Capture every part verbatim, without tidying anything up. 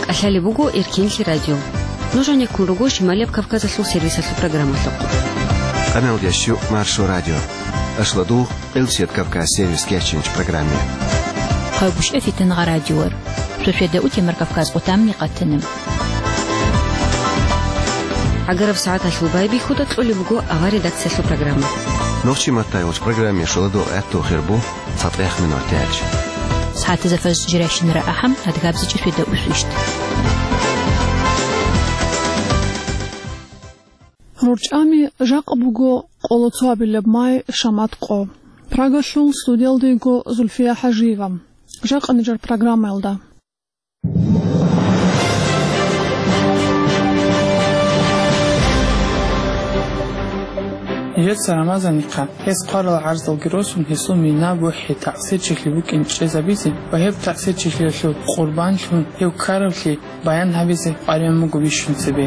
Алъалеб буго Эркенлъи радио. Нуж гьанеккун руго Шималияб Кавказалъул сервисалъул программалъухъ. Къаналда щу Маршо радио. Ашладугъ Элсият Кавказ сервис кечинч программе. Хъайбушев Фитангъа радиор. Сосиеда утемар Кавказ отамни къатанам. Агараб сагӀаталъул байбихьуда кьолеб буго авар редакциялъул программа. Нохчи матайулч программе шоладо гӀатту хирбу. ЦатӀех минутач. СагӀатазда фажр жиращинара ахӀам, адгабзичӀи светда усвищт. РорчӀами жакъа буго къоло цоабилеб май шамат къо. Прагалъул студиялда йиго Зульфия ХӀажиева. Жакъа нижер программаялда. Нижеца Рамазанихъа гьес хъварал гӀарзалги росун, гьесул мина-бухӀи, таъсирчилъи букӀин чӀезабизе ва гьеб таъсирчилъиялъул къурбанлъун гьев ккаравлъи баян гьабизе къваригӀун буго бищун цебе.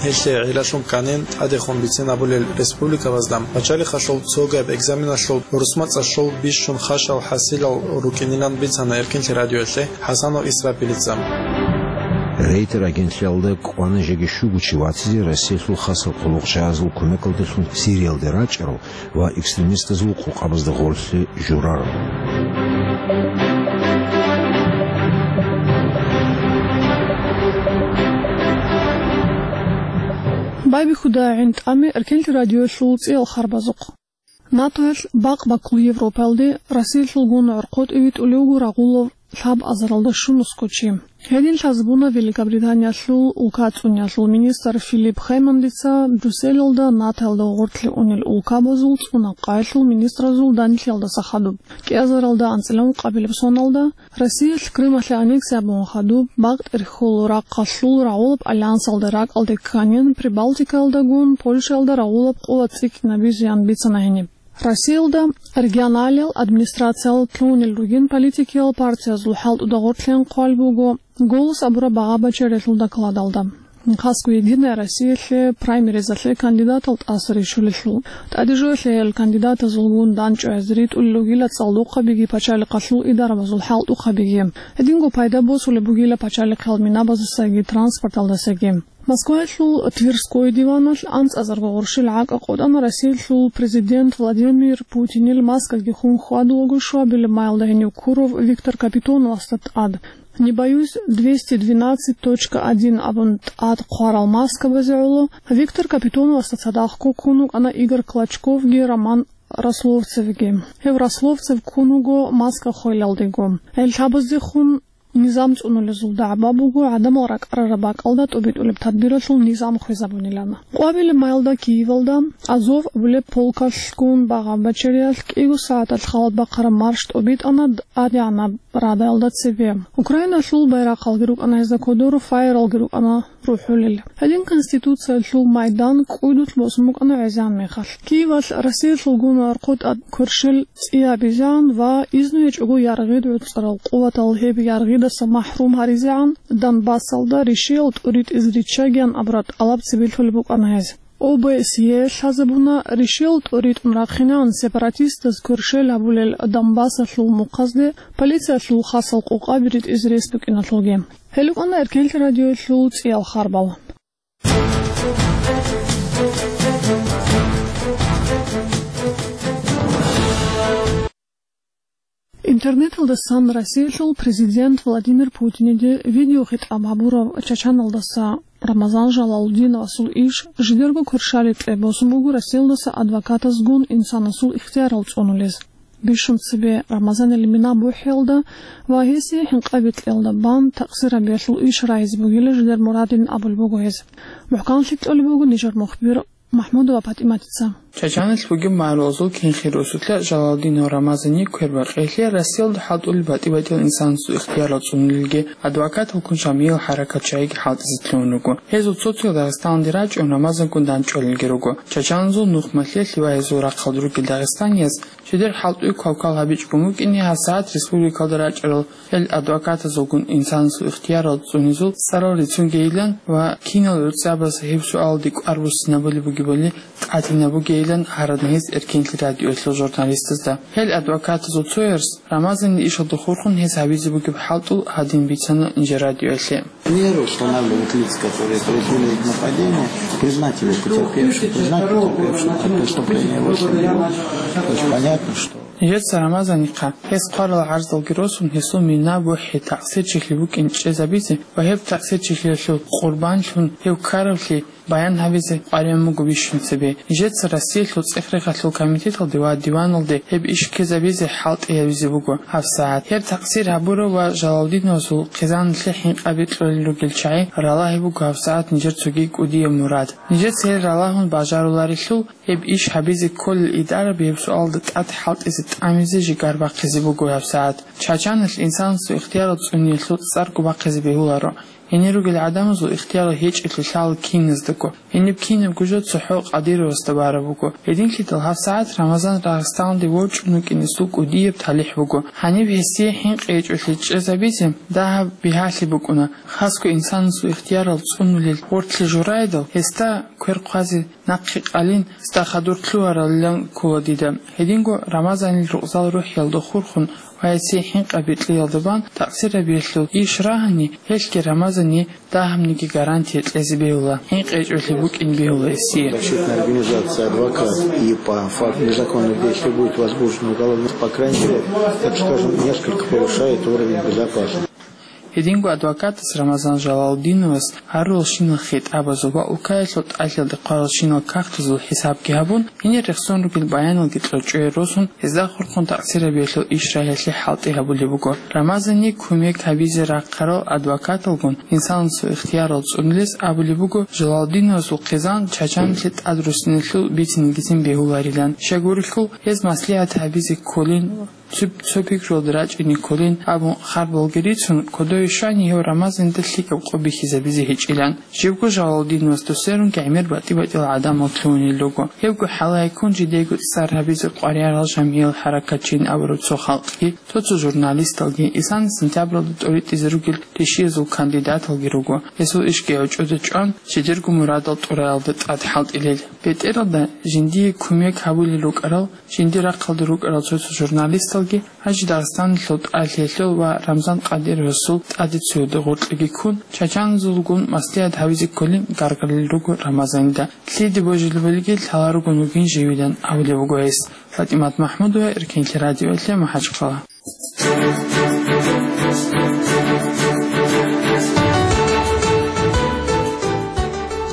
Гьелъие гӀиллалъун кканин, тӀадехун бицин абулел республикабазда пачалихъалъул цогаб экзаменалъул русмацӀалъул бищун хашал хӀасилал рукӀинилан бицана Эркинлъи радиоялъе ХӀасанов Исрапилица. Рейтер агентлъиялда кӀвана жеги щуго чи вацизе Россиялъул хасал къуллукъчагӀазул кумекалдалъун Сириялде рачӀарал ва экстремистазул къокъабазда гъорлъе журарал. Байбихьуда гӀин тӀами Эркенлъи радиоялъул цӀиял харбазухъ. НАТОялъ бакъ баккул Европаялде Россиялъулгун гӀорхъотӀи витӀулев вуго рагъулав лъабазаралда щунусго чи. Гьедин лъазабуна Великобританиялъул улкацӀуниялъул министр Филипп Хэммондица Брюсселалда НАТОялда гъорлъе унел улкабазул цӀунахъаялъул министразул данделъиялдаса хадуб. КӀиазаралда анцӀила ункъабилеб соналда Россиялъ Крымалъе аннексия гьабун хадуб, бакъ тӀерхьул рахъалъул рагъулаб альянсалда ракӀалде кканин, Прибалтикаялдагун Польшаялда рагъулаб къулат цӀикӀкӀинабизеян бицана гьениб. Россиялда регионалиял администрациялда лъугьунел ругин политикиял партиязул хӀалтӀуда гъорлъен хъван буго «Голос» абураб багъа-бачариялъул докладалда. Хасго «Единая Россиялъе» праймеризалъе кандидатал тӀаса рищулелъул. ТӀадежоялъе гьел кандидатазулгун данчӀвазе ритӀулел ругила цӀалдохъабиги пачалихъалъул идарабазул хӀалтӀухъабиги. Гьединго пайда босулеб бугила пачалихъал минабаздасаги транспорталдасаги. Москваялъул Тверской диваналъ анцӀазарго гъурщил гӀакъа къотӀана Россиялъул президент Владимир Путинил маскаги хун хьвадулаго щуабилеб маялда гьенив ккурав Виктор Капитоновасда тӀад. «Не боюсь двести двенадцать точка один» абун тӀад хъварал маскабазе гӀоло Виктор Капитоновасда цадахъго ккун вукӀана Игорь Клочковги Роман Рословцевги. Гьев Рословцев ккун вуго маска хвелалдего. Гьел лъабаздехун низам цӀунулезул дагӀба буго гӀадамал ракӀарараб бакӀалда тӀубитӀулеб тадбиралъул низам хвезабунилан. Къвабилеб маялда Киевалда Азов абулеб полкалъгун багъа-бачариялъ кӀиго сагӀаталъ халат бахъараб марш тӀубитӀана ТӀадегӀанаб Радаялда цебе. Украиналъул байрахъалги рукӀана гьезда кодор, фаералги рукӀана рухӀулел. Гьедин Конституциялъул майдан кӀудулъ босун букӀана гӀезегӀан мехалъ. Киевалъ Россиялъулгун гӀорхъотӀа кверщел цӀиябизегӀан ва изну гьечӀого яргъид гӀуцӀарал къуватал гьеб яргъидаса махӀрум гьаризегӀан, Донбассалда ришиял тӀуритӀиз риччагиян абураб тӀалаб цебе лъолеб букӀана гьез. ОБСЕ лъазабуна ришиял тӀуритӀун рахъинегӀан сепаратистаз кверщел гьабулел Донбассалъул мухъазде полициялъул хасал къокъаби ритӀизе рес букӀиналъулги. Гьел рукӀана Эркенлъи радиоялъул цӀиял харбал. Интернеталдасан Россиялъул президент Владимир Путиниде видеохитӀаб гьабурав Чачаналдаса Рамазан Жалалудиновасул иш жидерго кверщаликье босун буго Россиялдаса адвокатазгун инсанасул ихтиярал цӀунулез. Бищун цебе Рамазанил мина бухӀиялда ва гьесие хӀинкъаби кьеялда бан такъсир гьабиялъул иш рагьизе бугила жидер мурадин абулеб буго гьез. МухӀканлъи кьолеб буго нижер мухбир Махмудова ПатӀиматица. Чачаналъ бугеб магӀарулазул кинхи росулъа Жалалудинов Рамазанил квербакъиялъе Россиялда хӀалтӀулел батӀи-батӀиял инсанасул ихтиярал цӀунулелги, адвокаталгун Шамилил хӀаракатчагӀиги хӀалтӀизе лъугьун руго. Гьезул цо-цоял Дагъистаналде рачӀун Рамазангун данчӀвалелги руго. Чачаналъул нухмалъиялъе ва гьезул рахъалда ругел дагъистанияз жидер хӀалтӀуе квалквал гьабичӀого букӀине гьабсагӀат республикалда рачӀарал гьел адвокатазулгун инсанасул ихтиярал цӀунезул цӀарал рицунгейилан ва кинал гӀуцӀабаз гьеб суалалде кӀвар буссинабулеб бугебали тӀадинабугейилан Гьаран гьез Эркенлъи радиоялъул журналистазда. Гьел адвокатазул цояс Рамазанил ишалда хурхун гьез гьабизе бугеб хӀалтӀул гьадин бицана нижер радиоялъе. Меры устанавливают лица, которые произвели нападение, признать его потерпевшим, признать потерпевшим от преступления его семью. То есть понятно, что Нижеца Рамазанихъа гьес хъварал гӀарзалги росун, гьесул мина бухӀи такъсирчилъи букӀин чӀезабизе ва гьеб такъсирчилъиялъул къурбанлъун гьев ккаравлъи баян гьабизе къваригӀун буго бищун цебе. Нижеца Россиялъул цӀех-рехалъул комитеталде ва диваналде гьеб иш ккезабизе хӀалтӀи гьабизе буго гьабсагӀат. Гьеб такъсир гьабурав ва Жалалдиновасул хъизаналъе хӀинкъаби кьолел ругел чагӀи ралагьи буго гьабсагӀат нижер цоги кӀудияб мурад. Нижеца гьел ралагьун бажаруларелъул, гьеб иш гьабизе кколел идараб гьеб суалда тӀад хӀалтӀизе тӀамизе жигар бахъизе буго гьабсагӀат. Чачаналъ инсанасул ихтиярал цӀуниялъул цӀарго бахъизе бегьуларо. Гьенир ругел гӀадамазул ихтиярал гьечӀелъи лъала киназдаго. Гьениб кинабго жо цохӀо Къадировасда бараб буго. Гьединлъидал гьабсагӀат Рамазан Дагъистаналде ворчӀун вукӀин гьесул кӀудияб талихӀ буго. Гьаниб гьесие хӀинкъи гьечӀолъи чӀезабизе дагьаб бигьалъи букӀуна. Хасго инсанасул ихтиярал цӀунулел вортлъи журайдал, гьесда квер хъвазе нахъе къалин, гьесда хадур лъугьаралилан ккола дида. Гьединго Рамазанил рукъзал рухӀиялда хурхун ва гьесие хӀинкъаби кьеялда бан такъсирабиялъул иш рагьани, гьелъги Рамазание дагьабниги гарантия кьезе бегьула, хӀинкъи гьечӀолъи букӀин бегьула гьесие. Защитная организация, адвокат и по факту незаконных действий будет возбуждено уголовное, по крайней мере, так скажем, несколько повышает уровень безопасности. Гьединго адвокатас Рамазан Жалалдиновас гьарурал щинал хитӀабазул ва улкаялъул тӀалъиялда хъварал щинал кагътазул хӀисабги гьабун, гьенир рехсон ругел баяналги кьочӀое росун, гьезда хурхун такъсирабиялъул иш рагьиялъе хӀалтӀи гьабулеб буго. Рамазание кумек гьабизе рахъарал адвокаталгун инсанасул ихтиярал цӀунулес абулеб буго Жалалдиновасул хъизан Чачаналъе тӀад руссиналъул бицинегицин бегьуларилан. Щай гурелъул, гьез маслигӀат гьабизе кколин, цо, цо пикруялда рачӀине кколин абун харбалги рицун, кодове щвани гьев Рамазанида лъикӀаб къо бихьизабизе гьечӀилан. Жибго Жалалдиновасда сверунги гӀемер батӀи-батӀиял гӀадамал лъугьунел руго. Гьебго хӀалайккун жидего цӀар гьабизе къваригӀарал жамгӀиял хӀаракатчийин абураб цо халкъги, цо-цо журналисталги, исана сентябралда тӀоритӀизе ругел ришиязул кандидаталги руго. Гьесул ишги гӀочӀода чӀван, жидерго мурадал тӀураялда тӀад хӀалтӀилел. БетӀералда, жиндие кумек гьабулел рукӀарал, жиндир рахъалда рукӀарал цо-цо журналисталги, гьанже Дагъистаналъул тӀалъиялъул ва Рамзан Къадировасул тӀаде цояда гъоркьги ккун, чачаназулгун маслигӀат гьабизе кколин гаргадулел руго Рамазанида. Лъиде божилебалги лъаларогун вугин живилан абулеб буго гьес. ФатӀимат МахӀмудова, Эркенлъи радиоялъе, МахӀачхъала.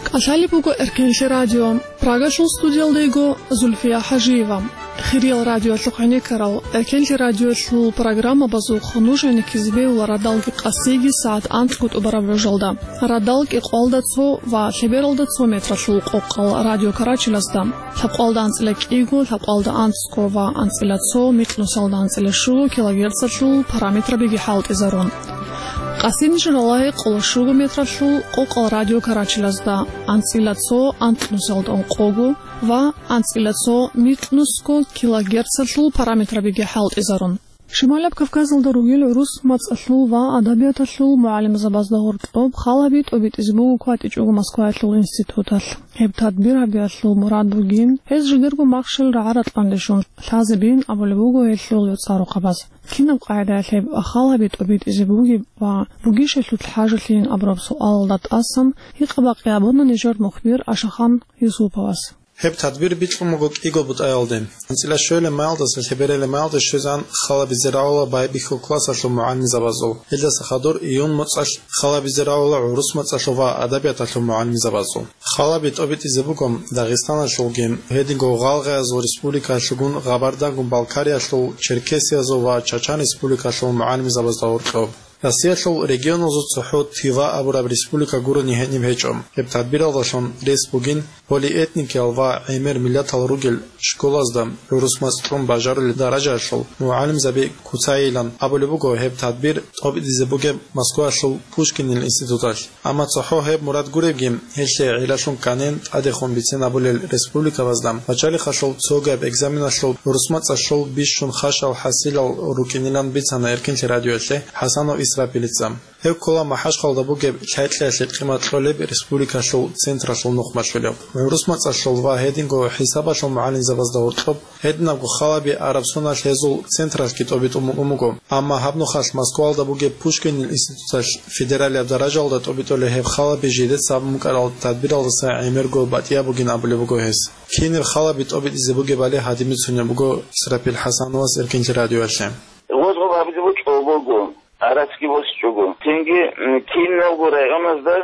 КӀалъалеб буго Эркенлъи радио. Прагалъул студиялда йиго Зульфия ХӀажиева. Хириял радиоялъухъ гӀенеккарал, Эркенлъи радиоялъул программабазухъ нуж гӀенеккизе бегьула радалги къасиги сагӀат анкьго тӀубараб гӀужалда. Радал кӀикъоялда цо ва лъебералда цо метралъул къокъал радиокарачилазда, лъабкъоялда анцӀила кӀиго, лъабкъоялда анцӀго ва анцӀила цо, микьнусалда анцӀила щуго килогерцалъул параметрабиги хӀалтӀизарун. Къасин журала гьекъола щуго метралъул къокъал радиокарачилазда, анцӀила цо, анкьнусалда ункъого ва анцӀила цо, микьнусго килогерцалъул параметрабиги хӀалтӀизарун. Шималаб Кавказалда ругел гӀурус мацӀалъул ва адабияталъул мугӀалимзабазда гьоркьоб халаби тӀобитӀизе буго кватӀичӀого Москваялъул институталъ. Гьеб тадбир гьабиялъул мурад бугин, гьез жидерго махщел рагӀа-ратӀлъан рещун лъазабин абулеб буго гьелъул цӀарухъабаз. Кинаб къагӀидаялъ гьеб халаби тӀобитӀизе бугеб ва бугищ гьелъулъ хӀажалъийин абураб суалалда тӀасан гьикъа-бакъи абуна нижер мухбир Ашахан Юсуповас. Гьеб тадбир бикьун буго кӀиго бутӀаялде. АнцӀила щуялеб майалдаса лъебералеб майалде щвезегӀан халабизе рагӀула байбихьул классалъул мугӀалимзабазул. Гьелдаса хадур июнь моцӀалъ халабизе рагӀула гӀурус мацӀалъул ва адабияталъул мугӀалимзабазул. Халаби тӀобитӀизе буго Дагъистаналъулги, гьединго гъалгъаязул республикаялъулгун, Къабардагун-Балкариялъул, Черкесиязул ва Чачан республикалъул мугӀалимзабазда гьоркьоб. Россиялъул регионалзул цохӀо Тыва абураб республика гурони гьениб гьечӀо. Гьеб тадбиралдалъун рес бугин полиэтникиял ва гӀемер миллатал ругел школазда гӀурус мацӀ кьун бажарулел даражаялъул мугӀалимзаби куцайилан абулеб буго гьеб тадбир тӀобитӀизе бугеб Москваялъул Пушкинил институталъ. Амма цохӀо гьеб мурад гуребги, гьелъие гӀелалъун кӀанен тӀадехун бицен абулел республикабазда начальнихъалъул цогаб экзаменалъул гӀурус мацӀалъул бищун хашал хӀасилал рукӀинилан бицана Эркенлъи радиоялъе ХӀасанов Ис Исрапилица. Гьев ккола МахӀажгьалда бугеб лъай-кьиялъе къимат кьолеб республикалъул централъул нухмалъулев. ГӀурус мацӀалъул ва гьединго хӀисабалъул мугӀалимзабазда гьоркьоб гьединабго халаби араб соналъ гьезул централъги тӀобитӀун букӀун буго. Амма гьаб нухалъ Москвалда бугеб Пушкинил институталъ федералияб даражаялда тӀобитӀулей гьеб халаби жидеца гьабун букӀарал тадбиралдаса гӀемерго батӀияб бугин абулеб буго гьес. Кинаб халаби тӀобитӀизе бугебали гьадин бицунеб буго Исрапил ХӀасановас Эркенлъи радиоялъе. Гъозгъоб гьабизе бокьулеб буго, гӀарацги босичӀого. Цинги, м, киналго районазда,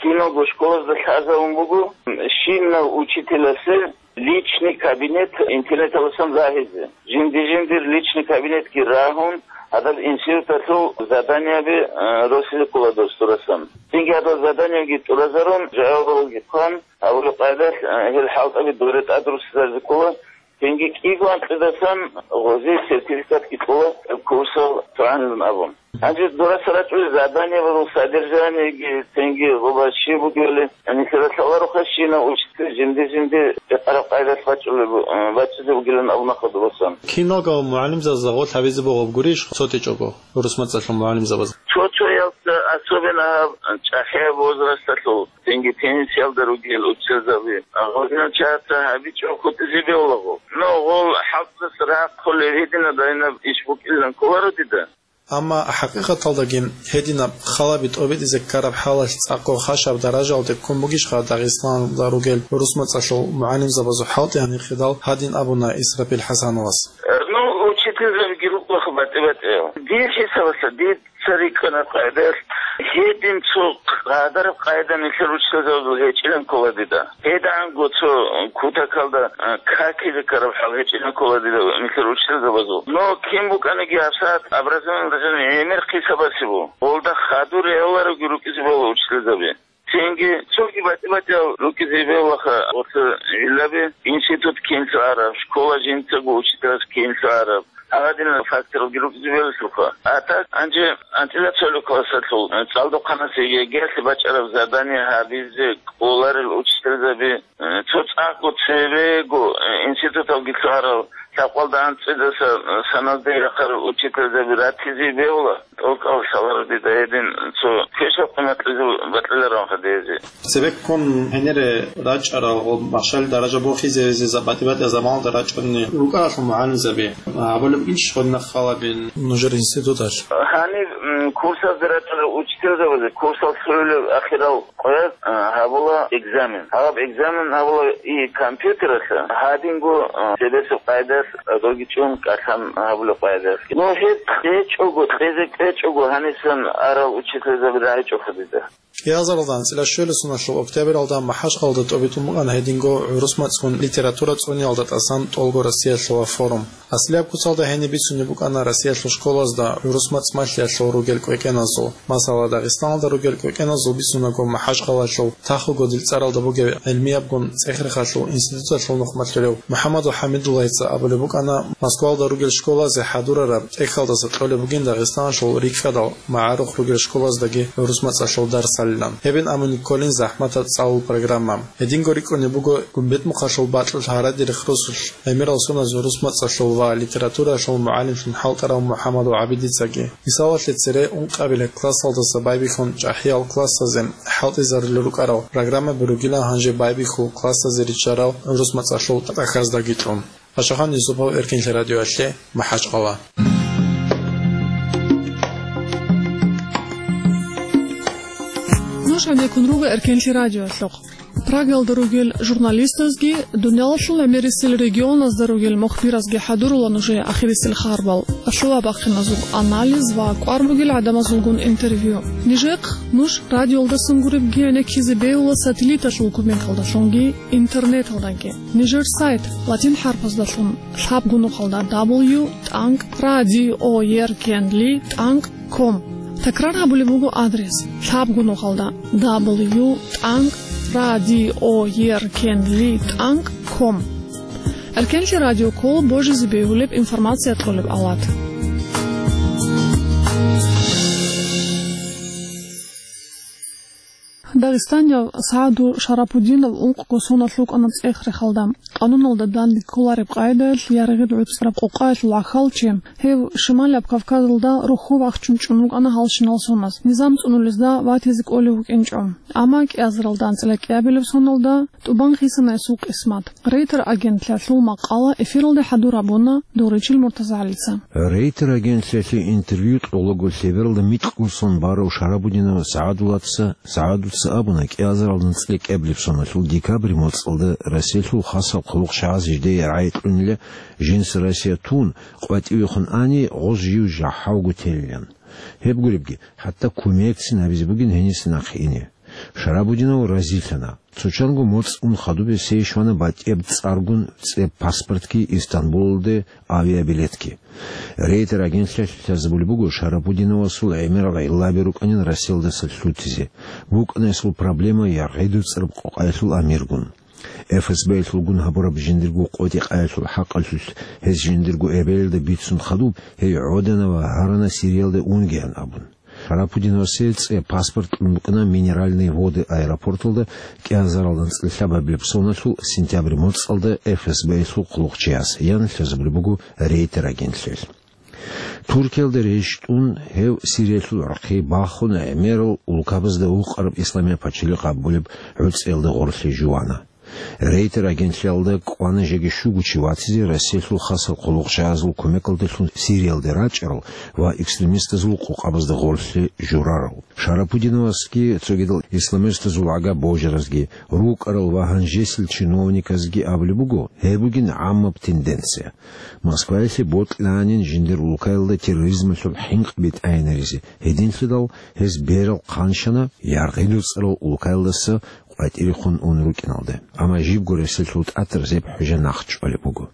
киналго школазда лъазабун буго, м, щинав учителасе личный кабинет интернеталасан рагьизе. Жинди-жиндир личный кабинетги рагьун, гьадаб институталъул заданиеби, э, росизе ккола дос дурасан. Цинги гьадал заданиеги тӀуразарун, жавабалги хъван, гьабулеб къайдалъ, э, гьел хӀалтӀаби доре тӀадруссизаризе ккола. Цинги кӀиго анкьидасан гъозие сертификатги кьола, курсал цогӀанилан абун. Гьанже дураса рачӀунел заданиябазул содержаниеги, цинги гъоба щиб бугебали, нилъеда лъалароха щинав учитель жинди-жинди рекъараб къайдалъ бачӀулеб, э, бачӀизе бугилан абуна хадубасан. Киналго мугӀалимзабазда гъорлъ гьабизе бугеб гурищ цо тӀичӀого гӀурус мацӀалъул мугӀалимзабаз? Цо-цояз, особенно гьаб чӀахӀияб возрасталъул, цинги пенсиялда ругел учителзаби, гъозинал чагӀаца гьабичӀого хутӀизе бегьулаго. Но гъол хӀалтӀудаса рахъулеб гьединаб-гьадинаб иш букӀилан кколаро дида. Амма хӀакъикъаталдаги гьединаб халаби тӀобитӀизе ккараб хӀалалъ цӀакъго хашаб даражаялде ккун бугищха Дагъистаналда ругел гӀурус мацӀалъул мугӀалимзабазул хӀалтӀи гьанихъидал, гьадин абуна Исрапил ХӀасановас. Ну, учительзабиги рукӀаха батӀи-батӀиял. Дир хӀисабалъа, дир цо рикӀкӀараб къайдалъ, гьедин цо къадараб къайда нилъер учителзабазул гьечӀилан ккола дида. ГьедигӀанго цо кутакалда, а, какизе ккараб хӀал гьечӀилан ккола дида нилъер учителзабазул. Но кин букӀаниги гьабсагӀат образованиялда жаниб гӀемер хъисабасеб буго. Гъолда хадур регӀолароги рукӀизе бегьула учителзаби. Цинги цоги батӀи-батӀиял рукӀизе бегьулаха, гъорлъ гӀиллаби, институт кинлъи араб, школа жинцаго учителас кинлъи араб. Гьадинал факторалги рукӀизе бегьулаха. А так, гьанже анцӀила цолеб классалъул, э, цӀалдохъанас ЕГЭялъе бачӀараб задание гьабизе кӀоларел учителзаби, э, цо цӀакъго цебего, э, институталги лъугьарал, лъабкъоялда анцӀидаса, э, саналде рахъарал учителзаби ратизе бегьула, тӀокӀал лъаларо дида гьедин цо квешаб къимат кьезе бокьилароан хадезе. Цебеккун гьенире рачӀарал ва машгьали даража бохизеризе за-, батӀи-батӀиял заманалда рачӀунел рукӀаралъул мугӀалимзаби, а, абулеб иш гъодинаб халабин нужер институталъ? Гьаниб, м, курсазде рачӀарал учителзабазе курсал лъугӀулеб ахирал къоялъ, а, гьабула экзамен. Гьаб экзамен гьабула и компьютералъа, гьадинго, а, цебесеб къайдалъ, а, догичӀун кӀалъан гьабулеб къайдалъ. Ну, гьеб кьечӀого, кьезе кьечӀого гьанисан арал учителзаби рагӀичӀо хадида. КӀиазаралда анцӀила щуялдасуналъул октябралда МахӀажгьалда тӀобитӀун букӀана гьединго гӀурус мацӀгун литература цӀуниялда тӀасан тӀолго Россиялъула форум. Аслияб куцалда гьениб бицунеб букӀана Россиялъул школазда гӀурус мацӀ малъиялъул ругел кӀвекӀеназул. Масала, Дагъистаналда ругел кӀвекӀеназул бицунаго, МахӀажгьалалъул Тахуго дилцӀаралда бугеб гӀилмиябгун цӀехрехалъул институталъул нухмалъулев МухӀаммадул ХӀамидуллагьица абулеб букӀана, Москвалда ругел школазе хӀадурараб тӀехьалдаса кьолеб бугин Дагъистаналъул рикӀкӀадал магӀарухъ ругел школаздаги гӀурус мацӀалъул дарсалилан. Гьебин абуни кколин захӀматаб цӀалул программа. Гьединго рикӀкӀунеб буго Гумбетмухъалъул бакьулъ гьараде рехсолъ гӀемерал соналъ гӀурус мацӀалъул ва литературалъул мугӀалимлъун хӀалтӀарав МухӀаммадул ГӀабидицаги. Мисалалъе, цере ункъабилеб классалдаса байбихьун чӀахӀиял классазе хӀалтӀизарулел рукӀарал программаби ругилан гьанже байбихьул классазе риччарал гӀурус мацӀалъул тӀахьаздаги кьун. Пашагьан Юсупов, Эркенлъи радиоялъе, МахӀачкъала. Нуж гьанеккун руго Эркенлъи радиоялъухъ. Прагаялда ругел журналистазги, дуниялалъул гӀемерисел регионазда ругел мухбиразги хӀадурула нужее ахирисел харбал, лъугьа-бахъиназул анализ ва кӀвар бугел гӀадамазулгун интервью. Нижехъ нуж радиоялдасан гуребги гӀенеккизе бегьула сателлиталъул кумекалдалъунги интернеталдаги. Нижер сайт латин хӀарпаздалъун лъабго нухалда: дабл ю тӀанкӀ радио Эркенлъи тӀанкӀ ком. Такрар гьабулеб буго адрес: лъабго нухалда: дабл ю тӀанкӀ радио Эркенлъи тӀанкӀ ком. Эркенлъи радио ккола божизе бегьулеб информация кьолеб авлад. Дагъистанияв СагӀаду Шарапудинов ункъго соналъ вукӀана цӀех-рехалда. Къануналда данде кколареб къагӀидаялъ яргъи гӀуцӀараб къокъаялъул гӀахьалчи, гьев Шималияб Кавказалда рохьо вахчун чӀун вукӀана гьалщинал соназ, низам цӀунулезда ватизе кӀолев вукӀинчӀо. Амма кӀиазаралда анцӀила кӀиабилеб соналда тӀубан хисана гьесул къисмат. Рейтер агентлъиялъул макъала эфиралде хӀадур гьабуна Дугъричил МуртазагӀалица. Рейтер агентлъиялъе интервью кьолаго лъебералда микьго сон барав Шарапудинов СагӀадулаца, СагӀадуца абуна, кӀиазаралда анцӀила кӀиабилеб соналъул декабрь моцӀалда Россиялъул хасал хъулухъчагӀаз жидее рагӀи кьунила, жинца Россия тун, къватӀивехун ани, гъоз жив жахӀалго телилан. Гьеб гуребги, хӀатта кумекцин гьабизе бугин гьениса нахъе ине. Шарапудинов разилъана. Цо чанго моцӀ ун хадубе сей щвана батӀияб цӀаргун цӀеб паспортги, Истанбулалде авиабилетги. Рейтер агентлъиялъ лъазабулеб буго Шарапудиновасул гӀемерал гӀиллаби рукӀанин Россиялдаса лъутизе. БукӀана гьесул проблема яргъи гӀуцӀараб къокъаялъул амиргун. ФСБ-ялъулгун гьабураб жиндирго къотӀи-къаялъул хӀакъалъулъ гьес жиндирго эбелалда бицун хадуб, гьей гӀодана ва гьарана Сириялде унгеян абун. Шарапудиновасе цӀе паспорт кьун букӀана Минеральные Воды аэропорталда кӀиазаралда анцӀила лъабабилеб соналъул сентябрь моцӀалда ФСБ-ялъул хъулухъчияс, ян лъазабулеб буго Рейтер агентлъиялъ. Туркиялда рещтӀун, гьев Сириялъул гӀурхъи бахун, гӀемерал улкабазда вукъараб Исламияб пачалихъ абулеб гӀуцӀиялда гъорлъе жувана. Рейтер агентлъиялда кӀвана жеги щуго чи ватизе Россиялъул хасал хъулухъчагӀазул кумекалдалъун Сириялде рачӀарал ва экстремистазул къокъабазда гъорлъе журарал. Шарапудиновасги цогидал исламистазул гӀага божаразги, рукӀарал ва гьанжесил чиновниказги абулеб буго, гьеб бугин гӀаммаб тенденция. Москваялъе бокьанин жиндир улкаялда терроризмалъул хӀинкъи битӀайинаризе, гьединлъидал гьез берал хъанщана яргъи гӀуцӀарал улкаялдаса къватӀирехун ун рукӀиналда. Амма жибго Россиялъул тӀатар Зеб-хӀужа нахъ чӀвалеб буго.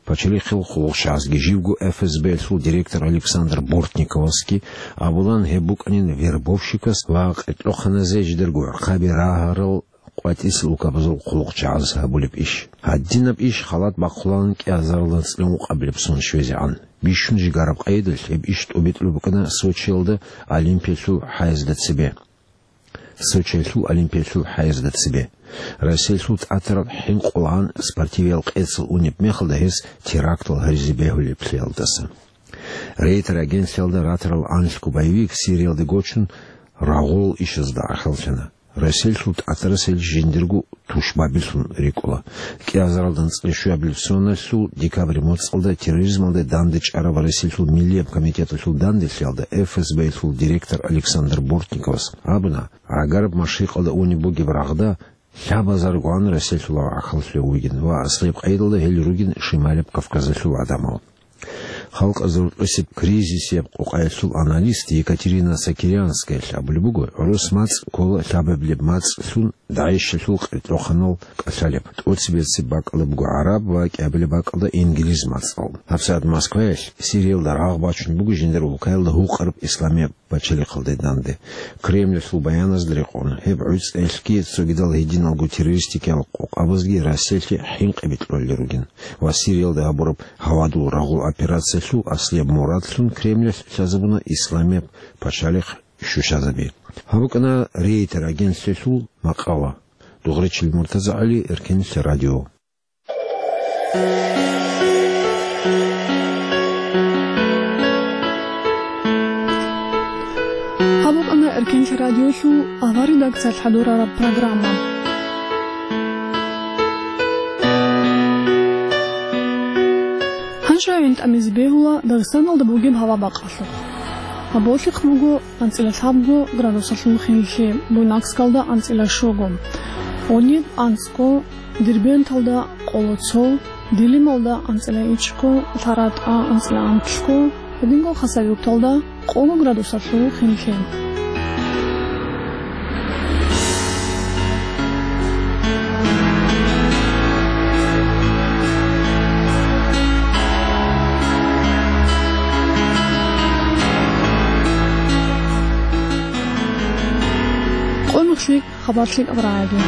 Пачалихъил хъулухъчагӀазги живго ФСБ-ялъул директор Александр Бортниковасги абулан, гьеб букӀанин вербовщикас ва къеркьохъаназе жидерго гӀурхъаби рагьарал къватӀисел улкабазул хъулухъчагӀаз гьабулеб иш. Гьадинаб иш халат бахъулан кӀиазаралда анцӀила ункъабилеб сон щвезегӀан. Бищун жигараб къайдалъ гьеб иш тӀобитӀулеб букӀана Сочиялда Олимпиялъул хӀаязда цебе. Сочиялъул Олимпиялъул хӀаязда цебе. Россиялъул тӀатараб хӀинкъулгӀан спортивиял къецал унеб мехалда гьес терактал гьаризе бегьулеблъиялдаса. Рейтер агентлъиялда ратарал анлъго боевик Сириялде гочун рагъул ишазда гӀахьаллъана. Россиялъул тӀатарас гьел жиндирго тушбабилъун рикӀкӀула. КӀиазаралда анцӀила щуабилеб соналъул декабрь моцӀалда терроризмалда данде чӀараб Россиялъул Миллияб комитеталъул данделъиялда ФСБ-ялъул директор Александр Бортниковас абуна, гӀагараб машрикъалда унеб бугеб рагъда лъабазаргоан Россиялъул гӀахьаллъи вугин ва аслияб къайдалда гьел ругин Шималяб Кавказалъул гӀадамал. Халкъазул рукъисеб кризисияб къокъаялъул аналист Екатерина Сокирянскаялъ абулеб буго, гӀурус мацӀ ккола лъабабилеб мацӀлъун ДАИШалъул къеркьохъанал кӀалъалеб, тӀоцебесеб бакӀалда буго гӀараб ва кӀиабилеб бакӀалда инглиз мацӀал. ГьабсагӀат Москваялъ Сириялда рагъ бачун буго жиндир улкаялда гьукъараб исламияб пачалихъалде данде. Кремльалъул баяназда рекъон, гьеб гӀуцӀиялъги цогидал гьединалго террористикиял къокъабазги Россиялъе хӀинкъи бикьулел ругин ва Сириялда гьабураб гьавадул рагъул операциялъул аслияб мурадлъун Кремльалъ лъазабуна исламияб пачалихъ щущазаби. Гьаб букӀана Рейтер агентлъиялъул макъала. Дугъричил МуртазагӀали, Эркенлъи радио. Гьаб букӀана Эркенлъи радиолъул авар редакциялъ хӀадурараб программа. Гьанже гӀин тӀамизе бегьула Дагъистаналда бугеб гьава-бакъалъухъ. Гьаб болъихъ буго анцӀила лъабго градусалъул хинлъи, Буйнакскалда анцӀила щуго, гьуниб анцӀго, Дербенталда къоло цо, Дилималда анцӀила ичӀго, ЛъаратӀа анцӀила анлъго, гьединго Хасавюрталда къоло градусалъул хинлъи. Къо нухлъи хабар лъикӀаб рагӀаги.